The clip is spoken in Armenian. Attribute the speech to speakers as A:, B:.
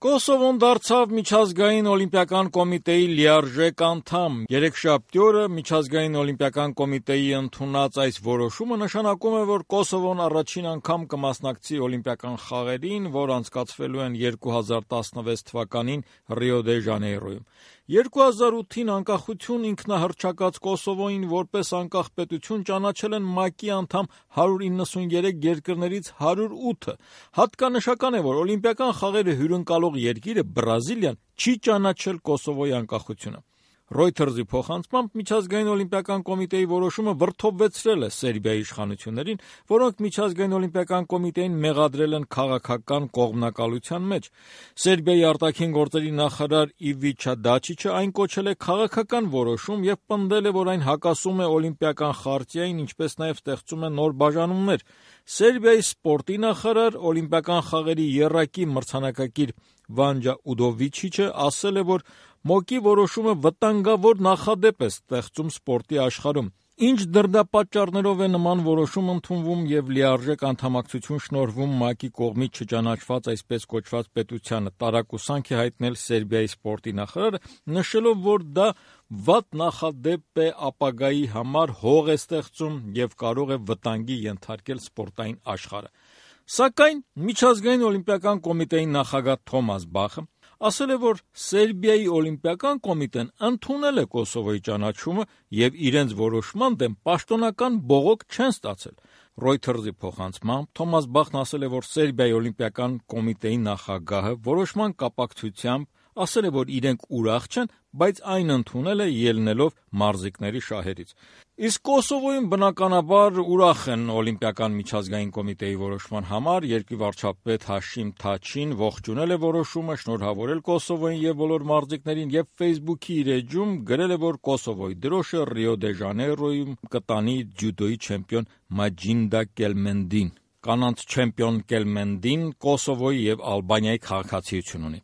A: Կոսովոն դարձավ միջազգային օլիմպիական կոմիտեի լիարժեք անդամ։ Երեքշաբթի օրը միջազգային օլիմպիական կոմիտեի ընդունած այս որոշումը նշանակում է, որ Կոսովոն առաջին անգամ կմասնակցի օլիմպիական խաղերին, որ անցկացվելու են 2016 թվականին Ռիո դե Ժանեյրոյում։ 2008-ին անկախություն ինքնահռչակած Կոսովոյին որպես անկախ պետություն ճանաչել են ՄԱԿ-ի անդամ 193 երկրներից 108-ը։ Հատկանշական է, որ օլիմպիական խաղերը հյուրընկալող երկիրը Բրազիլիան չի ճանաչել Կոսովոյի անկախությունը։ Reuters-ի փոխանցմամբ միջազգային օլիմպիական կոմիտեի որոշումը վրդովվեցրել է Սերբիայի իշխանություններին, որոնք միջազգային օլիմպիական կոմիտեին մեղադրել են քաղաքական կողմնակալության մեջ։ Սերբիայի արտաքին գործերի նախարար Իվիչա Դաչիչը այն կոչել է քաղաքական որոշում եւ պնդել է, որ այն հակասում է օլիմպիական խարտիային, ինչպես նաեւ ստեղծում է նոր բաժանումներ։ Սերբիայի սպորտի նախարար, օլիմպիական խաղերի եռակի մրցանակակիր Վանջա Ուդովիչիչը ասել է, որ ՄՕԿ-ի որոշումը վտանգավոր նախադեպ է ստեղծում սպորտի աշխարհում։ Ինչ դրդապատճառներով է նման որոշում ընդունվում եւ լիարժեք անդամակցություն շնորհվում ՄԱԿ-ի կողմից չճանաչված այսպես կոչված պետությանը, տարակուսանք է հայտնել Սերբիայի սպորտի նախարարը, նշելով, որ դա վատ նախադեպ է ապագայի համար, հող է ստեղծում եւ կարող է վտանգի ենթարկել սպորտային աշխարհը։ Սակայն միջազգային օլիմպիական կոմիտեի նախագահ Թոմաս Բախը ասել է, որ Սերբիայի օլիմպիական կոմիտեն ընդունել է Կոսովոյի ճանաչումը եւ իրենց որոշման դեմ պաշտոնական բողոք չեն ստացել։ Reuters-ի փոխանցմամբ Թոմաս Բախն ասել է, որ Սերբիայի օլիմպիական կոմիտեի նախագահը որոշման կապակցությամբ ասել է, որ իրենք ուրախ չեն, բայց այն ընդունել է ելնելով մարզիկների շահերից։ Իսկ Կոսովոյում բնականաբար ուրախ են օլիմպիական միջազգային կոմիտեի որոշման համար։ Երկրի վարչապետ Հաշիմ Թաչին ողջունել է որոշումը, շնորհավորել Կոսովոյին եւ բոլոր մարզիկներին եւ Facebook-ի իր էջում գրել է, որ Կոսովոյի դրոշը Ռիո դե Ժանեյրոյում կտանի ջյուդոյի չեմպիոն Մաջինդա Կելմենդին։ Կանանց չեմպիոն Կելմենդին Կոսովոյի եւ Ալբանիայի քաղաքացիություն ունի։